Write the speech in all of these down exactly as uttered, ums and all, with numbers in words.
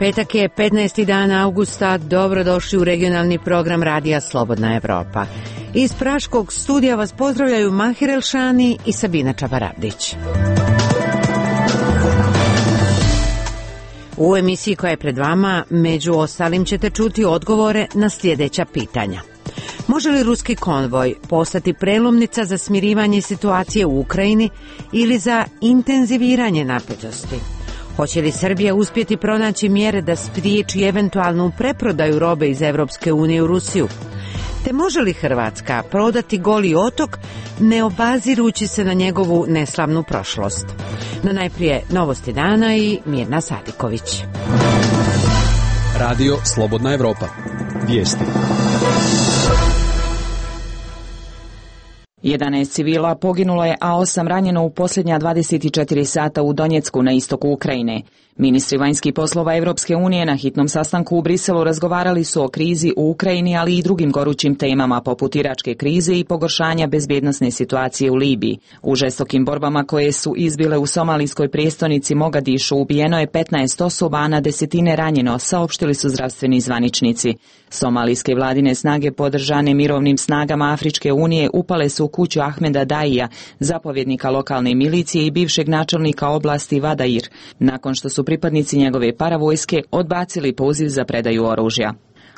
Petak je petnaesti dan avgusta, dobrodošli u regionalni program Radija Slobodna Evropa. Iz praškog studija vas pozdravljaju Mahir Elšani i Sabina Čabarabdić. U emisiji koja je pred vama, među ostalim ćete čuti odgovore na sljedeća pitanja. Može li ruski konvoj postati prelomnica za smirivanje situacije u Ukrajini ili za intenziviranje napetosti? Hoće li Srbija uspjeti pronaći mjere da spriječi eventualnu preprodaju robe iz Evropske unije u Rusiju? Te može li Hrvatska prodati Goli otok ne obazirući se na njegovu neslavnu prošlost? No najprije novosti dana i Mirna Sadiković. Radio Slobodna Evropa. Vijesti. jedanaest civila poginulo je, a osam ranjeno u posljednja dvadeset četiri sata u Donjecku na istoku Ukrajine. Ministri vanjskih poslova Evropske unije na hitnom sastanku u Briselu razgovarali su o krizi u Ukrajini, ali i drugim gorućim temama poput iračke krize i pogoršanja bezbjednosne situacije u Libiji. U žestokim borbama koje su izbile u somalijskoj prijestolnici Mogadišu ubijeno je petnaest osoba, a na desetine ranjeno, saopštili su zdravstveni zvaničnici. Somalijske vladine snage podržane mirovnim snagama Afričke unije upale su u kuću Ahmeda Daija, zapovjednika lokalne milicije i bivšeg načelnika oblasti Vadair, nakon što su pripadnici njegove paravojske odbacili poziv za predaju oružja.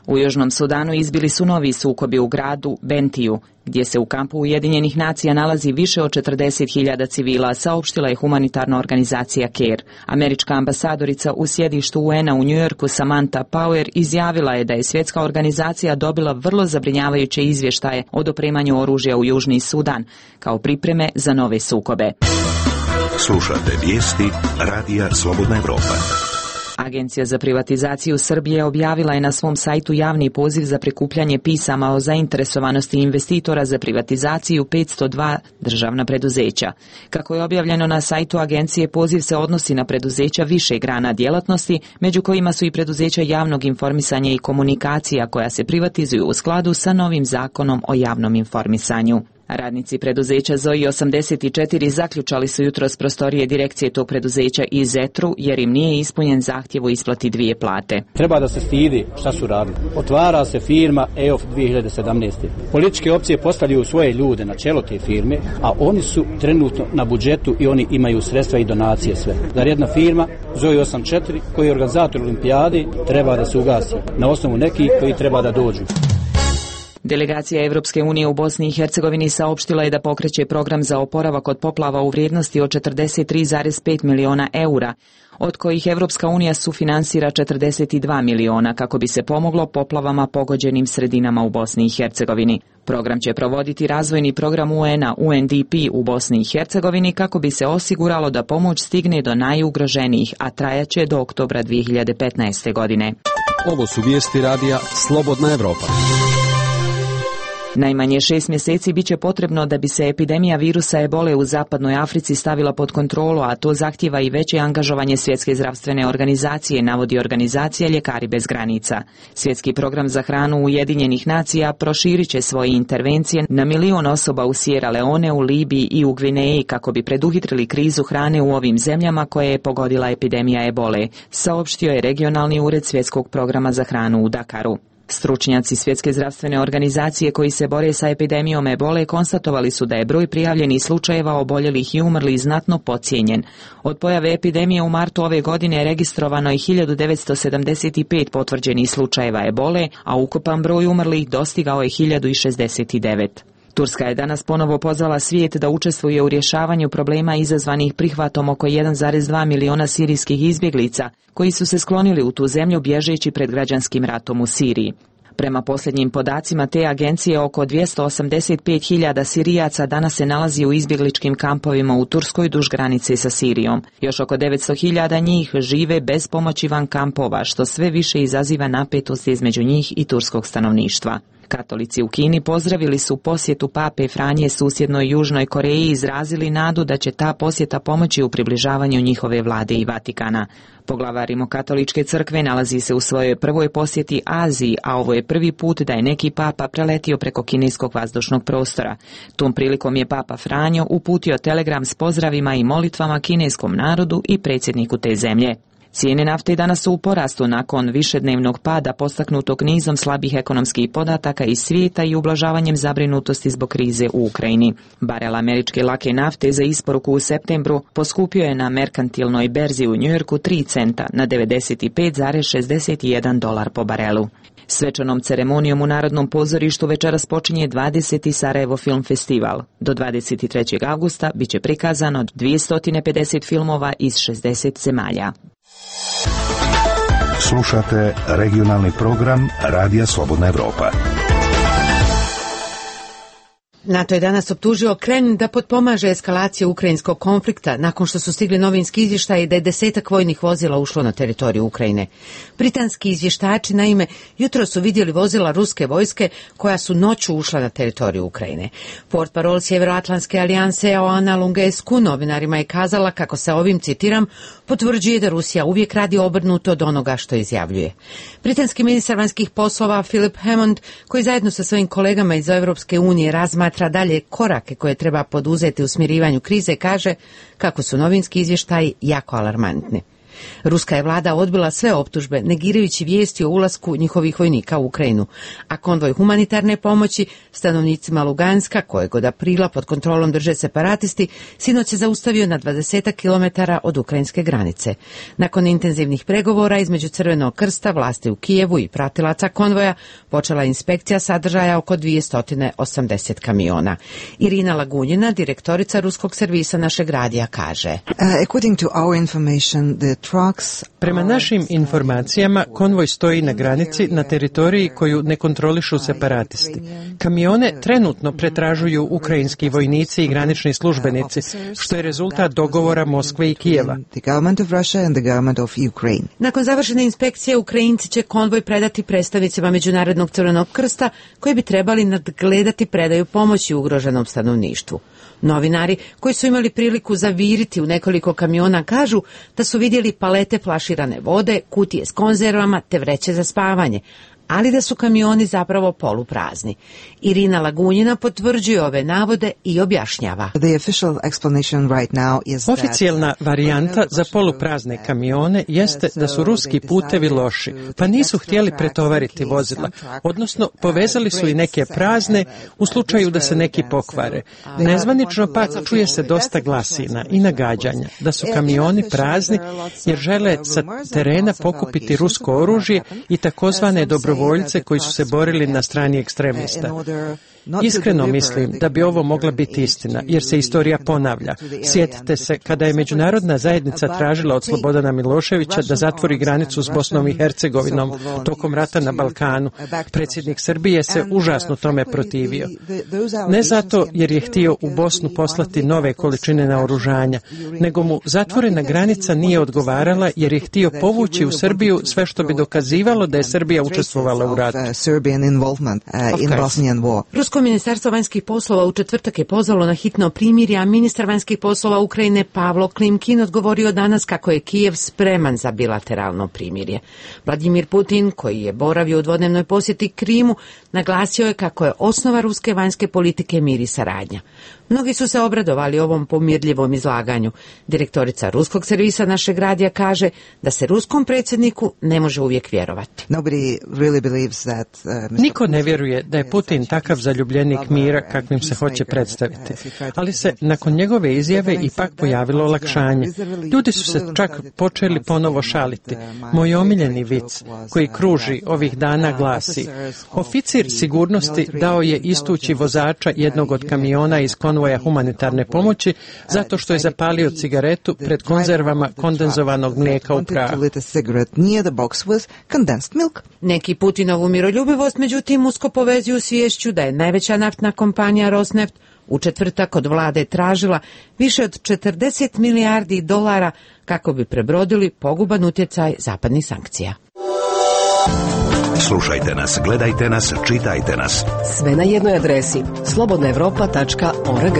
U Južnom Sudanu izbili su novi sukobi u gradu Bentiju, gdje se u kampu Ujedinjenih nacija nalazi više od četrdeset hiljada civila, saopštila je humanitarna organizacija CARE. Američka ambasadorica u sjedištu U N-a u Njujorku Samantha Power izjavila je da je svjetska organizacija dobila vrlo zabrinjavajuće izvještaje o dopremanju oružja u Južni Sudan, kao pripreme za nove sukobe. Slušate vijesti Radija Slobodna Evropa. Agencija za privatizaciju Srbije objavila je na svom sajtu javni poziv za prikupljanje pisama o zainteresovanosti investitora za privatizaciju petsto dva državna preduzeća. Kako je objavljeno na sajtu agencije, poziv se odnosi na preduzeća više grana djelatnosti, među kojima su i preduzeća javnog informisanja i komunikacija koja se privatizuju u skladu sa novim zakonom o javnom informisanju. Radnici preduzeća Zoji osamdeset četiri zaključali su jutros prostorije direkcije tog preduzeća i Zetru jer im nije ispunjen zahtjev o isplati dvije plate. Treba da se stidi šta su radili. Otvara se firma E O F dvije hiljade sedamnaeste. Političke opcije postavljaju svoje ljude na čelo te firme, a oni su trenutno na budžetu i oni imaju sredstva i donacije sve. Zar jedna firma Zoji osamdeset četiri koji je organizator olimpijade treba da se ugasi na osnovu nekih koji treba da dođu. Delegacija Evropske unije u Bosni i Hercegovini saopštila je da pokreće program za oporavak od poplava u vrijednosti od četrdeset tri zarez pet miliona eura, od kojih Evropska unija sufinansira četrdeset dva miliona kako bi se pomoglo poplavama pogođenim sredinama u Bosni i Hercegovini. Program će provoditi razvojni program U N-a U N D P u Bosni i Hercegovini kako bi se osiguralo da pomoć stigne do najugroženijih, a trajaće do oktobra dvije hiljade petnaeste. godine. Ovo su vijesti Radija Slobodna Evropa. Najmanje šest mjeseci bit će potrebno da bi se epidemija virusa ebole u zapadnoj Africi stavila pod kontrolu, a to zahtjeva i veće angažovanje Svjetske zdravstvene organizacije, navodi organizacija Ljekari bez granica. Svjetski program za hranu Ujedinjenih nacija proširit će svoje intervencije na milion osoba u Sierra Leone, u Libiji i u Gvineji kako bi preduhitrili krizu hrane u ovim zemljama koje je pogodila epidemija ebole, saopštio je regionalni ured Svjetskog programa za hranu u Dakaru. Stručnjaci Svjetske zdravstvene organizacije koji se bore sa epidemijom ebole konstatovali su da je broj prijavljenih slučajeva oboljelih i umrlih znatno podcijenjen. Od pojave epidemije u martu ove godine je registrovano i hiljadu devetsto sedamdeset pet potvrđenih slučajeva ebole, a ukupan broj umrlih dostigao je hiljadu šezdeset devet. Turska je danas ponovo pozvala svijet da učestvuje u rješavanju problema izazvanih prihvatom oko jedan zarez dva miliona sirijskih izbjeglica koji su se sklonili u tu zemlju bježeći pred građanskim ratom u Siriji. Prema posljednjim podacima te agencije, oko dvjesto osamdeset pet hiljada Sirijaca danas se nalazi u izbjegličkim kampovima u Turskoj duž granice sa Sirijom. Još oko devetsto hiljada njih žive bez pomoći van kampova, što sve više izaziva napetost između njih i turskog stanovništva. Katolici u Kini pozdravili su posjetu pape Franje susjednoj Južnoj Koreji i izrazili nadu da će ta posjeta pomoći u približavanju njihove vlade i Vatikana. Poglavar Rimokatoličke crkve nalazi se u svojoj prvoj posjeti Aziji, a ovo je prvi put da je neki papa preletio preko kineskog vazdušnog prostora. Tom prilikom je papa Franjo uputio telegram s pozdravima i molitvama kineskom narodu i predsjedniku te zemlje. Cijene nafte danas su u porastu nakon višednevnog pada postaknutog nizom slabih ekonomskih podataka iz svijeta i ublažavanjem zabrinutosti zbog krize u Ukrajini. Barel američke lake nafte za isporuku u septembru poskupio je na merkantilnoj berzi u Njujorku tri centa na devedeset pet zarez šezdeset jedan dolar po barelu. Svečanom ceremonijom u Narodnom pozorištu večeras počinje dvadeseti Sarajevo film festival. Do dvadeset trećeg avgusta biće prikazano dvjesto pedeset filmova iz šezdeset zemalja. Slušate regionalni program Radija Slobodna Evropa. NATO je danas optužio Kremlin da potpomaže eskalaciju ukrajinskog konflikta nakon što su stigli novinski izvještaji da je desetak vojnih vozila ušlo na teritoriju Ukrajine. Britanski izvještači, naime, jutro su vidjeli vozila ruske vojske koja su noću ušla na teritoriju Ukrajine. Portparol Sjeveroatlantske alijanse Oana Lungescu novinarima je kazala kako se ovim, citiram, potvrđuje da Rusija uvijek radi obrnuto od onoga što izjavljuje. Britanski ministar vanjskih poslova Philip Hammond, koji zajedno sa svojim kolegama iz Europske unije razmatra dalje korake koje treba poduzeti u smirivanju krize, kaže kako su novinski izvještaji jako alarmantni. Ruska je vlada odbila sve optužbe, negirajući vijesti o ulasku njihovih vojnika u Ukrajinu, a konvoj humanitarne pomoći stanovnicima Luganska, kojeg od aprila pod kontrolom drže separatisti, sinoć se zaustavio na dvadeset kilometara od ukrajinske granice. Nakon intenzivnih pregovora između Crvenog krsta, vlasti u Kijevu i pratilaca konvoja, počela inspekcija sadržaja oko dvjesto osamdeset kamiona. Irina Lagunjina, direktorica ruskog servisa našeg radija, kaže: Uh, according to our information, the Prema našim informacijama, konvoj stoji na granici na teritoriji koju ne kontrolišu separatisti. Kamione trenutno pretražuju ukrajinski vojnici i granični službenici, što je rezultat dogovora Moskve i Kijeva. Nakon završene inspekcije, Ukrajinci će konvoj predati predstavnicima Međunarodnog Crvenog krsta, koji bi trebali nadgledati predaju pomoći ugroženom stanovništvu. Novinari koji su imali priliku zaviriti u nekoliko kamiona kažu da su vidjeli palete flaširane vode, kutije s konzervama te vreće za spavanje, ali da su kamioni zapravo poluprazni. Irina Lagunjina potvrđuje ove navode i objašnjava. Oficijelna varijanta za poluprazne kamione jeste da su ruski putevi loši, pa nisu htjeli pretovariti vozila, odnosno povezali su i neke prazne u slučaju da se neki pokvare. Nezvanično pak čuje se dosta glasina i nagađanja da su kamioni prazni jer žele sa terena pokupiti rusko oružje i takozvane dobro voljce koji su se borili na strani ekstremista. Iskreno mislim da bi ovo mogla biti istina, jer se istorija ponavlja. Sjetite se kada je međunarodna zajednica tražila od Slobodana Miloševića da zatvori granicu s Bosnom i Hercegovinom tokom rata na Balkanu. Predsjednik Srbije se užasno tome protivio. Ne zato jer je htio u Bosnu poslati nove količine naoružanja, nego mu zatvorena granica nije odgovarala jer je htio povući u Srbiju sve što bi dokazivalo da je Srbija učestvovala u ratu. Rusko ministarstvo vanjskih poslova u četvrtak je pozvalo na hitno primirje, a ministar vanjskih poslova Ukrajine Pavlo Klimkin odgovorio danas kako je Kijev spreman za bilateralno primirje. Vladimir Putin, koji je boravio u dvodnevnoj posjeti Krimu, naglasio je kako je osnova ruske vanjske politike mir i saradnja. Mnogi su se obradovali ovom pomirljivom izlaganju. Direktorica ruskog servisa našeg radija kaže da se ruskom predsjedniku ne može uvijek vjerovati. Niko ne vjeruje da je Putin takav zaljubljenik mira kakvim se hoće predstaviti, ali se nakon njegove izjave ipak pojavilo olakšanje. Ljudi su se čak počeli ponovo šaliti. Moj omiljeni vic koji kruži ovih dana glasi: oficir sigurnosti dao je istući vozača jednog od kamiona iz konvoja humanitarne pomoći zato što je zapalio cigaretu pred konzervama kondenzovanog mlijeka u prahu. Neki Putinovu miroljubivost međutim usko povezuju sviješću da je najveća naftna kompanija Rosneft u četvrtak od vlade tražila više od četrdeset milijardi dolara kako bi prebrodili poguban utjecaj zapadnih sankcija. Slušajte nas, gledajte nas, čitajte nas. Sve na jednoj adresi slobodna evropa tačka org.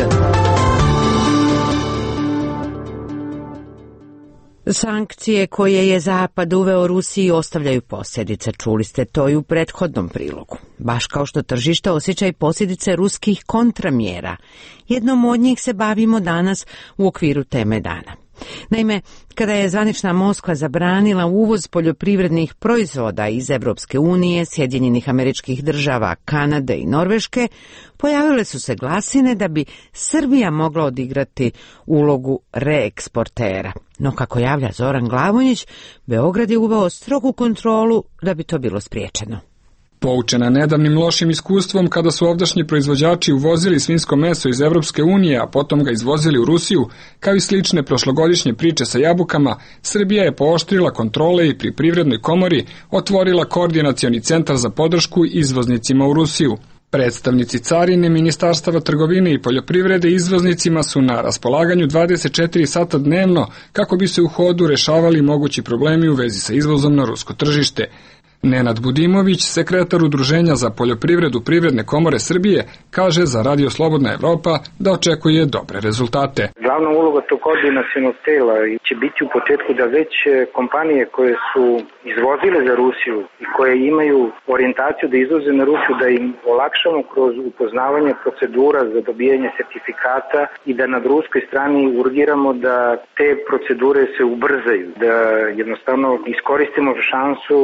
Sankcije koje je Zapad uveo Rusiji ostavljaju posljedice, čuli ste to i u prethodnom prilogu. Baš kao što tržište osjeća i posljedice ruskih kontramjera. Jednom od njih se bavimo danas u okviru teme dana. Naime, kada je zvanična Moskva zabranila uvoz poljoprivrednih proizvoda iz Evropske unije, Sjedinjenih Američkih Država, Kanade i Norveške, pojavile su se glasine da bi Srbija mogla odigrati ulogu reeksportera. No, kako javlja Zoran Glavonjić, Beograd je uveo strogu kontrolu da bi to bilo spriječeno. Poučena nedavnim lošim iskustvom kada su ovdašnji proizvođači uvozili svinjsko meso iz Evropske unije, a potom ga izvozili u Rusiju, kao i slične prošlogodišnje priče sa jabukama, Srbija je pooštrila kontrole i pri Privrednoj komori otvorila koordinacioni centar za podršku izvoznicima u Rusiju. Predstavnici carine, ministarstava trgovine i poljoprivrede izvoznicima su na raspolaganju dvadeset četiri sata dnevno kako bi se u hodu rešavali mogući problemi u vezi sa izvozom na rusko tržište. Nenad Budimović, sekretar Udruženja za poljoprivredu Privredne komore Srbije, kaže za Radio Slobodna Evropa da očekuje dobre rezultate. Glavna uloga tog koordinacionog tela će biti u početku da već kompanije koje su izvozile za Rusiju i koje imaju orijentaciju da izvoze na Rusiju, da im olakšamo kroz upoznavanje procedura za dobijanje sertifikata i da na ruskoj strani urgiramo da te procedure se ubrzaju, da jednostavno iskoristimo šansu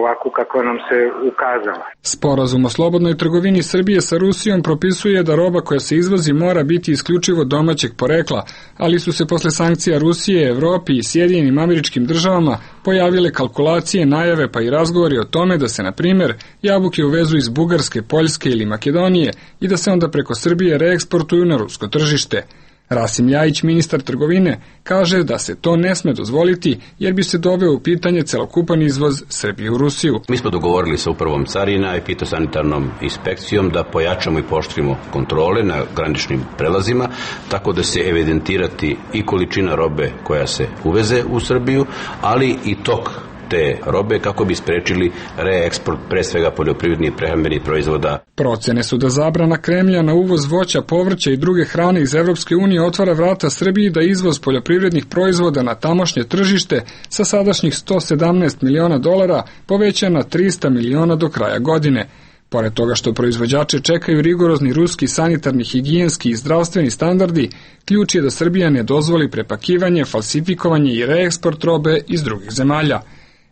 ovako kako nam se ukazala. Sporazum o slobodnoj trgovini Srbije sa Rusijom propisuje da roba koja se izvozi mora biti isključivo domaćeg porekla, ali su se posle sankcija Rusije, Evropi i Sjedinjenim Američkim Državama pojavile kalkulacije, najave pa i razgovori o tome da se, na primjer, jabuke uvezu iz Bugarske, Poljske ili Makedonije i da se onda preko Srbije reeksportuju na rusko tržište. Rasim Ljajić, ministar trgovine, kaže da se to ne sme dozvoliti jer bi se doveo u pitanje celokupan izvoz Srbije u Rusiju. Mi smo dogovorili sa upravom carina i fitosanitarnom inspekcijom da pojačamo i pooštrimo kontrole na graničnim prelazima, tako da se evidentirati i količina robe koja se uveze u Srbiju, ali i tok te robe kako bi sprečili reeksport pre svega poljoprivrednih i prehrambenih proizvoda. Procene su da zabrana Kremlja na uvoz voća, povrća i druge hrane iz Evropske unije otvara vrata Srbiji da izvoz poljoprivrednih proizvoda na tamošnje tržište sa sadašnjih sto sedamnaest miliona dolara poveća na trista miliona do kraja godine. Pored toga što proizvođače čekaju rigorozni ruski sanitarni, higijenski i zdravstveni standardi, ključ je da Srbija ne dozvoli prepakivanje, falsifikovanje i reeksport robe iz drugih zemalja.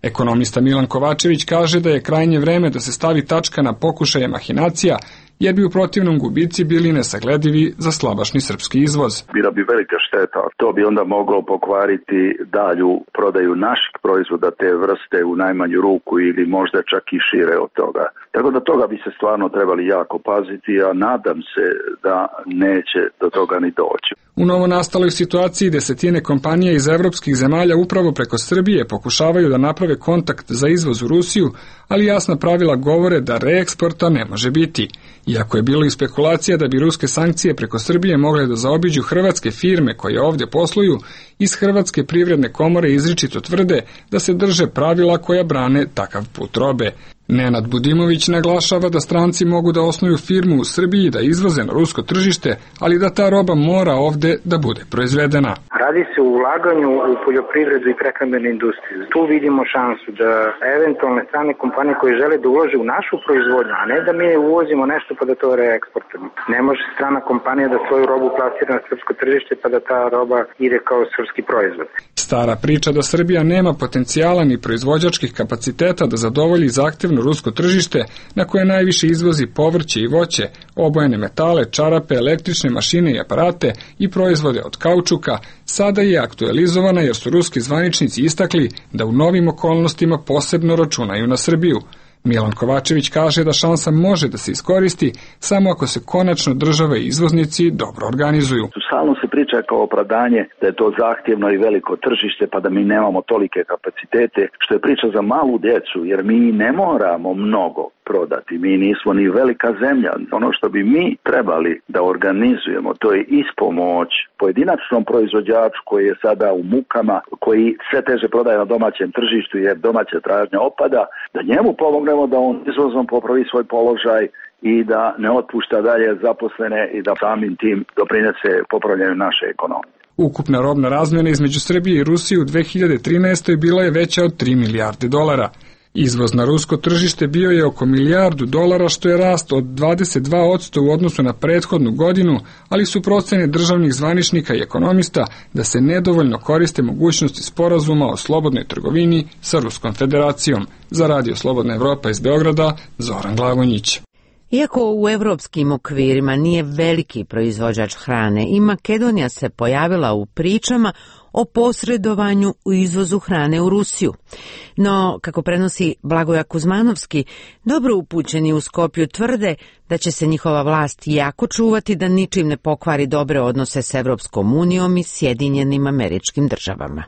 Ekonomista Milan Kovačević kaže da je krajnje vreme da se stavi tačka na pokušaje mahinacija, jer bi u protivnom gubici bili nesagledivi za slabašni srpski izvoz. Bila bi velika šteta, to bi onda moglo pokvariti dalju prodaju naših proizvoda te vrste u najmanju ruku ili možda čak i šire od toga. Tako da toga bi se stvarno trebali jako paziti, a nadam se da neće do toga ni doći. U novonastaloj situaciji desetine kompanija iz evropskih zemalja upravo preko Srbije pokušavaju da naprave kontakt za izvoz u Rusiju, ali jasna pravila govore da reeksporta ne može biti. Iako je bilo i spekulacija da bi ruske sankcije preko Srbije mogle da zaobiđu hrvatske firme koje ovdje posluju, iz Hrvatske privredne komore izričito tvrde da se drže pravila koja brane takav put robe. Nenad Budimović naglašava da stranci mogu da osnuju firmu u Srbiji da izvoze na rusko tržište, ali da ta roba mora ovde da bude proizvedena. Radi se o ulaganju u poljoprivredu i prehrambenu industriju. Tu vidimo šansu da eventualne strane kompanije koje žele da ulože u našu proizvodnju, a ne da mi uvozimo nešto pa da to reeksportujemo. Ne može strana kompanija da svoju robu plasira na srpsko tržište pa da ta roba ide kao srpski proizvod. Stara priča da Srbija nema potencijala ni proizvođačkih kapaciteta da zadovolji zahtevno rusko tržište na koje najviše izvozi povrće i voće, obojene metale, čarape, električne mašine i aparate i proizvode od kaučuka, sada je aktualizovana jer su ruski zvaničnici istakli da u novim okolnostima posebno računaju na Srbiju. Milan Kovačević kaže da šansa može da se iskoristi samo ako se konačno države i izvoznici dobro organizuju. Stalno se priča kao opravdanje da je to zahtjevno i veliko tržište pa da mi nemamo tolike kapacitete, što je priča za malu djecu jer mi ne moramo mnogo prodati. Mi nismo ni velika zemlja. Ono što bi mi trebali da organizujemo, to je ispomoć pojedinačnom proizvođaču koji je sada u mukama, koji sve teže prodaje na domaćem tržištu jer domaća tražnja opada, da njemu pomognemo da on izvozom popravi svoj položaj i da ne otpušta dalje zaposlene i da samim tim doprinese popravljanju naše ekonomije. Ukupna robna razmjena između Srbije i Rusije u dve hiljade trinaestoj bila je veća od tri milijarde dolara. Izvoz na rusko tržište bio je oko milijardu dolara, što je rast od dvadeset dva posto u odnosu na prethodnu godinu, ali su procene državnih zvaničnika i ekonomista da se nedovoljno koriste mogućnosti sporazuma o slobodnoj trgovini sa Ruskom federacijom. Za Radio Slobodna Evropa iz Beograda, Zoran Glavonjić. Iako u evropskim okvirima nije veliki proizvođač hrane, i Makedonija se pojavila u pričama o posredovanju u izvozu hrane u Rusiju. No, kako prenosi Blagoja Kuzmanovski, dobro upućeni u Skopju tvrde da će se njihova vlast jako čuvati da ničim ne pokvari dobre odnose s Evropskom unijom i Sjedinjenim Američkim Državama.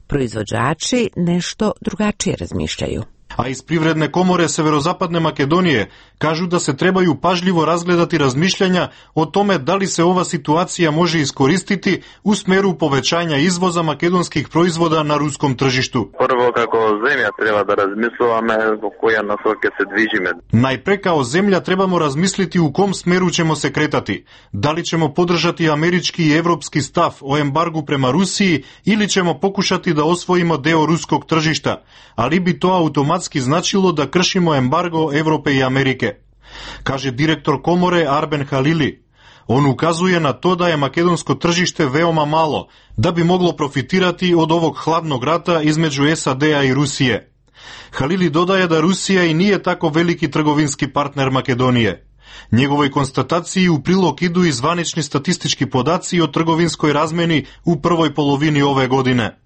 Proizvođači nešto drugačije razmišljaju. A iz Privredne komore Severozapadne Makedonije kažu da se trebaju pažljivo razgledati razmišljanja o tome da li se ova situacija može iskoristiti u smeru povećanja izvoza makedonskih proizvoda na ruskom tržištu. Prvo, kako zemlja treba da razmislujeme u koja nasoke se dvižime. Najpre kao zemlja trebamo razmisliti u kom smeru ćemo se kretati. Da li ćemo podržati američki i evropski stav o embargu prema Rusiji ili ćemo pokušati da osvojimo deo ruskog tržišta, ali bi to automatski značilo da kršimo embargo Evrope i Amerike, kaže direktor komore Arben Halili. On ukazuje na to da je makedonsko tržište veoma malo, da bi moglo profitirati od ovog hladnog rata između S A D-a i Rusije. Halili dodaje da Rusija i nije tako veliki trgovinski partner Makedonije. Njegovoj konstataciji u prilog idu i zvanični statistički podaci o trgovinskoj razmeni u prvoj polovini ove godine.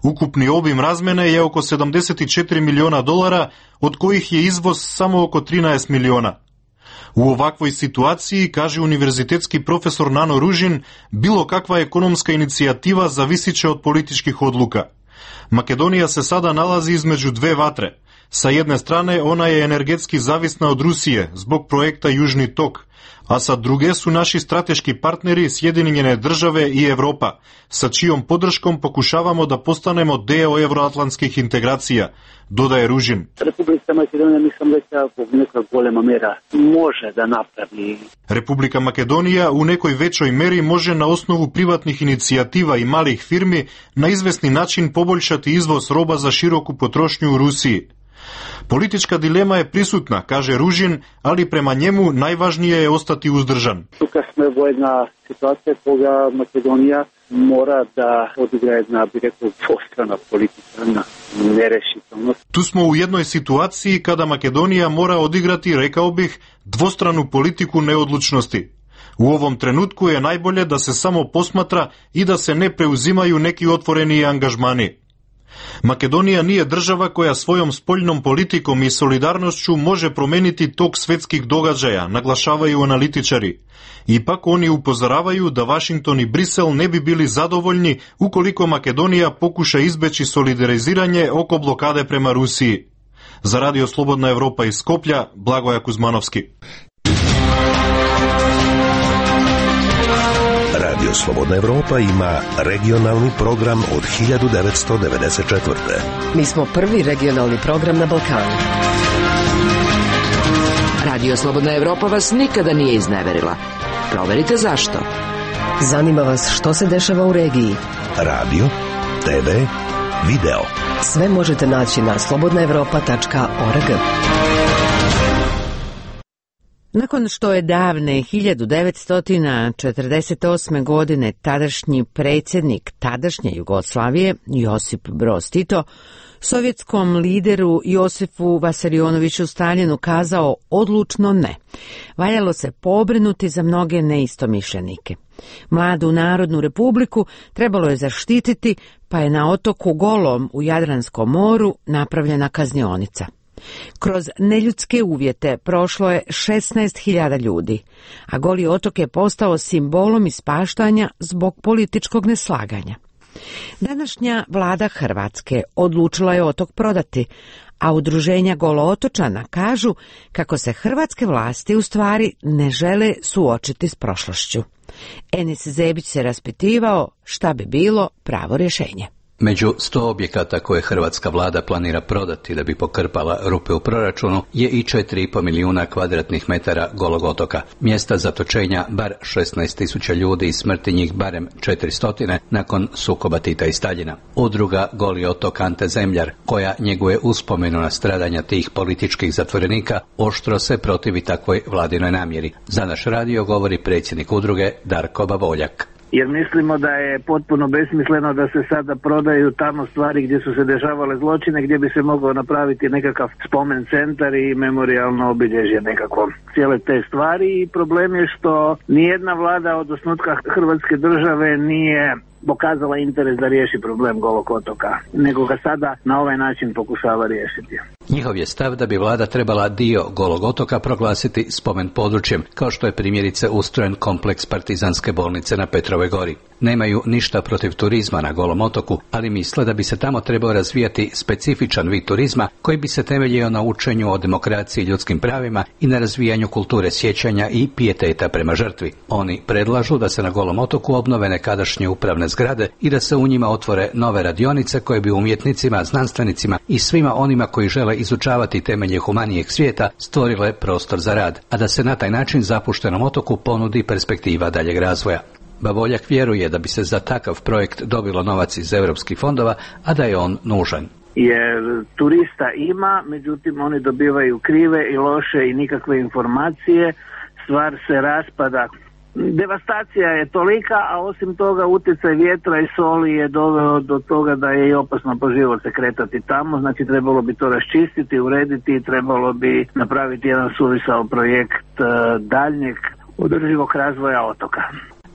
Ukupni obim razmene je oko sedamdeset četiri miliona dolara, od kojih je izvoz samo oko trinaest miliona. U ovakvoj situaciji, kaže univerzitetski profesor Nano Ružin, bilo kakva ekonomska inicijativa zavisiće od političkih odluka. Makedonija se sada nalazi između dve vatre. Sa jedne strane ona je energetski zavisna od Rusije zbog projekta Južni tok, a sa druge su naši strateški partneri Sjedinjene Države i Evropa, sa čijom podrškom pokušavamo da postanemo deo evroatlantskih integracija, dodaje Ružin. Republika Makedonija, mislim da zbog neka golema mera može da napravi. Republika Makedonija u nekoj većoj meri može na osnovu privatnih inicijativa i malih firmi na izvesni način poboljšati izvoz roba za široku potrošnju u Rusiji. Politička dilema je prisutna, kaže Ružin, ali prema njemu najvažnije je ostati uzdržan. Тука сме во една ситуација кога Македонија mora da odigra jedna, bi rekao, dvostrana politika na nerešitelnost. Tu smo u jednoj situaciji kada Makedonija mora odigrati, rekao bih, dvostranu politiku neodlučnosti. U ovom trenutku je najbolje da se samo posmatra i da se ne preuzimaju neki otvoreni angažmani. Makedonija nije država koja svojom spoljnom politikom i solidarnošću može promeniti tok svetskih događaja, naglašavaju analitičari. Ipak oni upozoravaju da Vašington i Brisel ne bi bili zadovoljni ukoliko Makedonija pokuša izbeći solidariziranje oko blokade prema Rusiji. Za Radio Slobodna Evropa iz Skoplja, Blagoja Kuzmanovski. Radio Slobodna Evropa ima regionalni program od hiljadu devetsto devedeset četvrte. Mi smo prvi regionalni program na Balkanu. Radio Slobodna Evropa vas nikada nije izneverila. Proverite zašto. Zanima vas što se dešava u regiji. Radio, te ve, video. Sve možete naći na slobodna evropa tačka org. Nakon što je davne hiljadu devetsto četrdeset osme. godine tadašnji predsjednik tadašnje Jugoslavije Josip Broz Tito sovjetskom lideru Josifu Vasarionoviću Staljinu kazao odlučno ne, valjalo se pobrinuti za mnoge neistomišljenike. Mladu Narodnu republiku trebalo je zaštititi, pa je na otoku Golom u Jadranskom moru napravljena kaznionica. Kroz neljudske uvjete prošlo je šesnaest hiljada ljudi, a Goli otok je postao simbolom ispaštanja zbog političkog neslaganja. Današnja vlada Hrvatske odlučila je otok prodati, a udruženja Golootočana kažu kako se hrvatske vlasti u stvari ne žele suočiti s prošlošću. Enis Zebić se raspitivao šta bi bilo pravo rješenje. Među sto objekata koje hrvatska vlada planira prodati da bi pokrpala rupe u proračunu je i četiri i pol milijuna kvadratnih metara golog otoka. Mjesta zatočenja bar šesnaest tisuća ljudi i smrti njih barem četiristo nakon sukoba Tita i Staljina. Udruga Goli otok Ante Zemljar, koja njeguje uspomenu na stradanja tih političkih zatvorenika, oštro se protivi takvoj vladinoj namjeri. Za naš radio govori predsjednik udruge Darko Bavoljak. Jer mislimo da je potpuno besmisleno da se sada prodaju tamo stvari gdje su se dešavale zločine, gdje bi se mogao napraviti nekakav spomen centar i memorijalno obilježje nekako cijele te stvari. I problem je što nijedna vlada od osnutka Hrvatske države nije pokazala interes da riješi problem Golog otoka, nego ga sada na ovaj način pokušava riješiti. Njihov je stav da bi vlada trebala dio Golog otoka proglasiti spomen područjem, kao što je primjerice ustrojen kompleks partizanske bolnice na Petrovoj gori. Nemaju ništa protiv turizma na Golom otoku, ali misle da bi se tamo trebao razvijati specifičan vid turizma koji bi se temeljio na učenju o demokraciji i ljudskim pravima i na razvijanju kulture sjećanja i pijeteta prema žrtvi. Oni predlažu da se na Golom otoku obnove nekadašnje upravne zgrade i da se u njima otvore nove radionice koje bi umjetnicima, znanstvenicima i svima onima koji žele izučavati temelje humanijeg svijeta stvorile prostor za rad, a da se na taj način zapuštenom otoku ponudi perspektiva daljeg razvoja. Bavoljak vjeruje da bi se za takav projekt dobilo novac iz europskih fondova, a da je on nužan. Jer turista ima, međutim oni dobivaju krive i loše i nikakve informacije, stvar se raspada. Devastacija je tolika, a osim toga utjecaj vjetra i soli je doveo do toga da je i opasno po život se kretati tamo, znači trebalo bi to raščistiti, urediti i trebalo bi napraviti jedan suvisao projekt daljnjeg održivog razvoja otoka.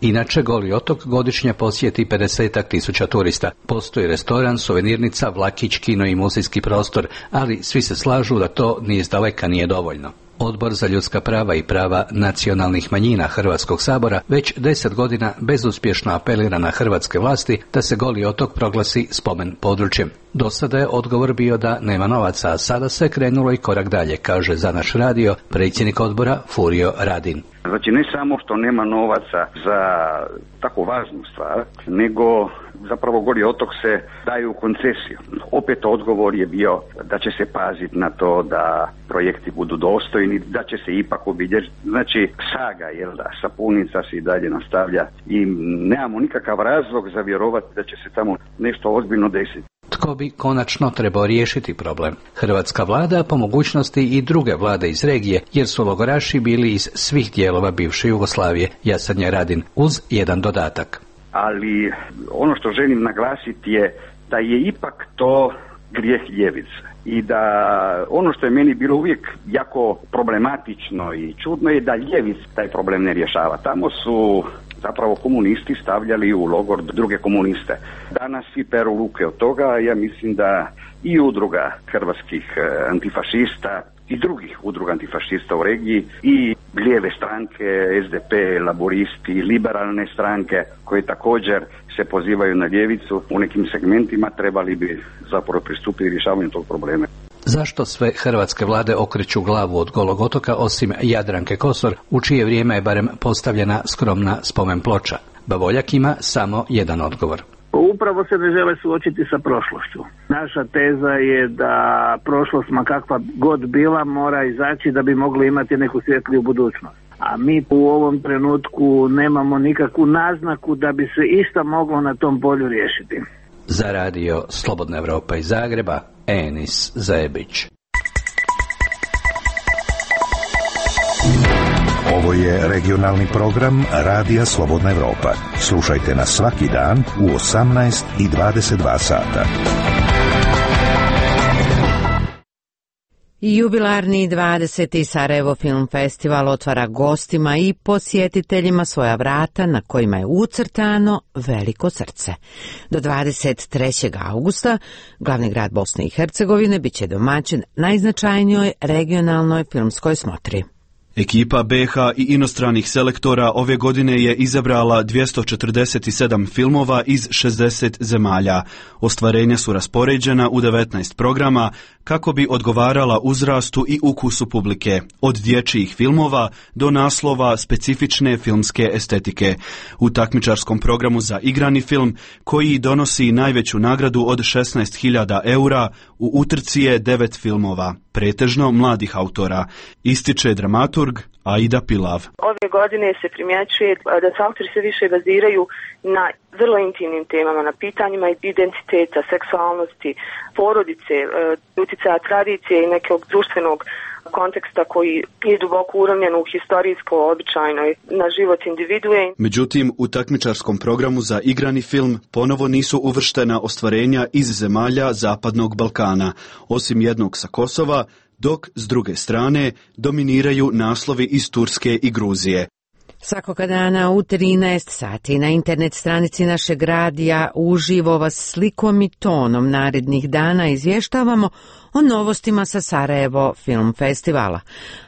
Inače, Goli otok godišnje posjeti pedesetak tisuća turista. Postoji restoran, suvenirnica, vlakić, kino i muzejski prostor, ali svi se slažu da to ni izdaleka nije dovoljno. Odbor za ljudska prava i prava nacionalnih manjina Hrvatskog sabora već deset godina bezuspješno apelira na hrvatske vlasti da se Goli otok proglasi spomen područjem. Do sada je odgovor bio da nema novaca, a sada se krenulo i korak dalje, kaže za naš radio predsjednik odbora Furio Radin. Znači ne samo što nema novaca za tako važnu stvar, nego zapravo Goli otok se daje u koncesiju. Opet odgovor je bio da će se paziti na to da projekti budu dostojni, da će se ipak obilježiti. Znači saga, jel da, sapunica se i dalje nastavlja i nemamo nikakav razlog za vjerovati da će se tamo nešto ozbiljno desiti. Tko bi konačno trebao riješiti problem? Hrvatska vlada, po mogućnosti i druge vlade iz regije, jer su logoraši bili iz svih dijelova bivše Jugoslavije, Jasanja Radin, uz jedan dodatak. Ali ono što želim naglasiti je da je ipak to grijeh ljevice i da ono što je meni bilo uvijek jako problematično i čudno je da ljevica taj problem ne rješava. Tamo su zapravo komunisti stavljali u logor druge komuniste. Danas svi peru ruke od toga, ja mislim da i udruga hrvatskih antifašista i drugih udruga antifašista u regiji i lijeve stranke, S D P, laboristi, liberalne stranke koje također se pozivaju na ljevicu u nekim segmentima trebali bi zapravo pristupiti rješavanju tog problema. Zašto sve hrvatske vlade okreću glavu od Golog otoka osim Jadranke Kosor, u čije vrijeme je barem postavljena skromna spomen ploča? Bavoljak ima samo jedan odgovor. Upravo se ne žele suočiti sa prošlošću. Naša teza je da prošlost, ma kakva god bila, mora izaći da bi mogli imati neku svjetliju budućnost. A mi u ovom trenutku nemamo nikakvu naznaku da bi se išta moglo na tom polju riješiti. Za radio Slobodna Evropa iz Zagreba, Enis Zebić. Ovo je regionalni program Radija Slobodna Evropa. Slušajte nas svaki dan u osamnaest i dvadeset dva sata. Jubilarni dvadeseti Sarajevo Film Festival otvara gostima i posjetiteljima svoja vrata na kojima je ucrtano veliko srce. Do dvadeset trećeg augusta glavni grad Bosne i Hercegovine biće domaćin najznačajnijoj regionalnoj filmskoj smotri. Ekipa B H i inostranih selektora ove godine je izabrala dvjesto četrdeset sedam filmova iz šezdeset zemalja. Ostvarenja su raspoređena u devetnaest programa kako bi odgovarala uzrastu i ukusu publike, od dječjih filmova do naslova specifične filmske estetike. U takmičarskom programu za igrani film, koji donosi najveću nagradu od šesnaest hiljada eura, u utrci je devet filmova, pretežno mladih autora, ističe dramaturg Aida Pilav. Ove godine se primjećuje da se autori sve više baziraju na vrlo intimnim temama, na pitanjima identiteta, seksualnosti, porodice, utjecaja tradicije i nekog društvenog konteksta koji je duboko uravnjen u historijsko, običajno na život individue. Međutim, u takmičarskom programu za igrani film ponovo nisu uvrštena ostvarenja iz zemalja Zapadnog Balkana, osim jednog sa Kosova, dok s druge strane dominiraju naslovi iz Turske i Gruzije. Svakoga dana u trinaest sati na internet stranici našeg radija uživo vas slikom i tonom narednih dana izvještavamo o novostima sa Sarajevo Film Festivala.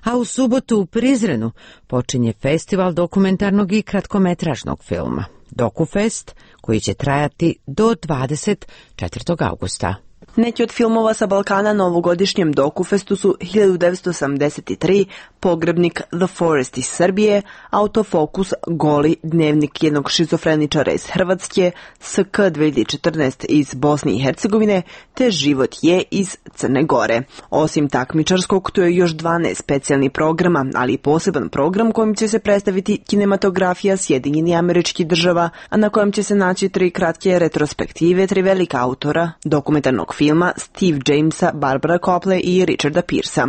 A u subotu u Prizrenu počinje festival dokumentarnog i kratkometražnog filma DokuFest, koji će trajati do dvadeset četvrtog augusta. Neki od filmova sa Balkana na ovogodišnjem DokuFestu su hiljadu devetsto osamdeset tri, Pogrebnik The Forest iz Srbije, Autofokus Goli, dnevnik jednog šizofreničara iz Hrvatske, S K dvije hiljade četrnaest iz Bosne i Hercegovine, te Život je iz Crne Gore. Osim takmičarskog, tu je još dvanaest specijalnih programa, ali i poseban program kojim će se predstaviti kinematografija Sjedinjenih Američkih Država, a na kojem će se naći tri kratke retrospektive tri velika autora dokumentarnog filma Steve Jamesa, Barbara Copley i Richarda Pearsa.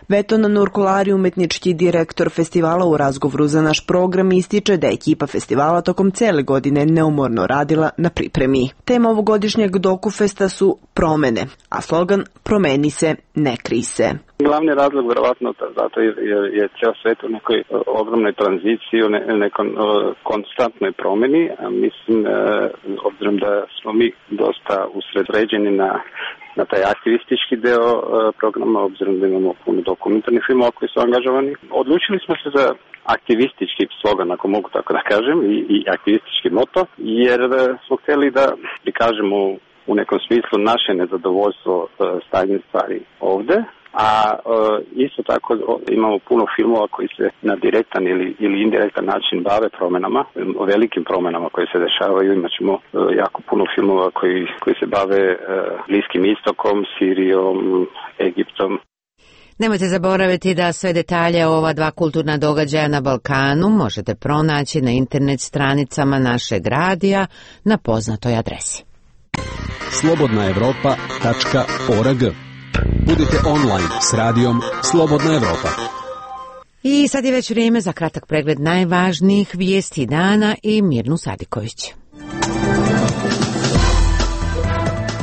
Veton Nurkulari, umetnički direktor festivala, u razgovoru za naš program ističe da je ekipa festivala tokom cele godine neumorno radila na pripremi. Tema ovogodišnjeg DokuFesta su promene, a slogan promeni se, ne krij se. Glavni razlog vjerovatno zato je, je, je cijel svijet u nekoj ogromnoj tranziciji, u ne, nekoj konstantnoj promjeni. A mislim, e, obzirom da smo mi dosta usredsređeni na, na taj aktivistički deo e, programa, obzirom da imamo puno dokumentarnih filmova koji su angažovani, odlučili smo se za aktivistički slogan, ako mogu tako da kažem, i, i aktivistički moto, jer e, smo htjeli da prikažemo u nekom smislu naše nezadovoljstvo e, stanjem stvari ovdje. A e, isto tako imamo puno filmova koji se na direktan ili, ili indirektan način bave promjenama, o velikim promjenama koje se dešavaju. Imaćemo e, jako puno filmova koji, koji se bave e, Bliskim istokom, Sirijom, Egiptom. Nemojte zaboraviti da sve detalje o ova dva kulturna događaja na Balkanu možete pronaći na internet stranicama našeg radija na poznatoj adresi. slobodna evropa tačka org. Budite online s radijom Slobodna Evropa. I sad je već vrijeme za kratak pregled najvažnijih vijesti dana i Mirnu Sadiković.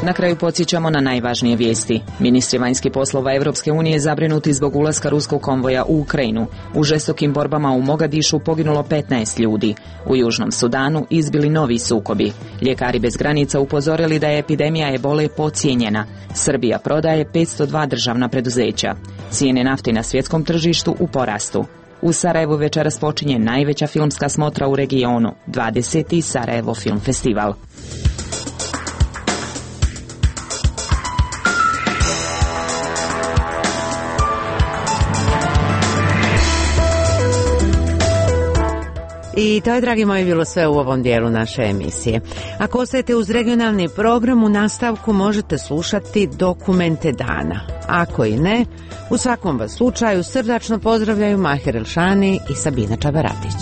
Na kraju podsjećamo na najvažnije vijesti. Ministri vanjskih poslova Evropske unije zabrinuti zbog ulaska ruskog konvoja u Ukrajinu. U žestokim borbama u Mogadišu poginulo petnaest ljudi. U Južnom Sudanu izbili novi sukobi. Ljekari bez granica upozorili da je epidemija ebole podcijenjena. Srbija prodaje petsto dva državna preduzeća. Cijene nafte na svjetskom tržištu u porastu. U Sarajevu večeras počinje najveća filmska smotra u regionu, dvadeseti Sarajevo Film Festival. I to je, dragi moji, bilo sve u ovom dijelu naše emisije. Ako ostajete uz regionalni program, u nastavku možete slušati dokumente dana. Ako i ne, u svakom vas slučaju srdačno pozdravljaju Mahir Elšani i Sabina Čabaratić.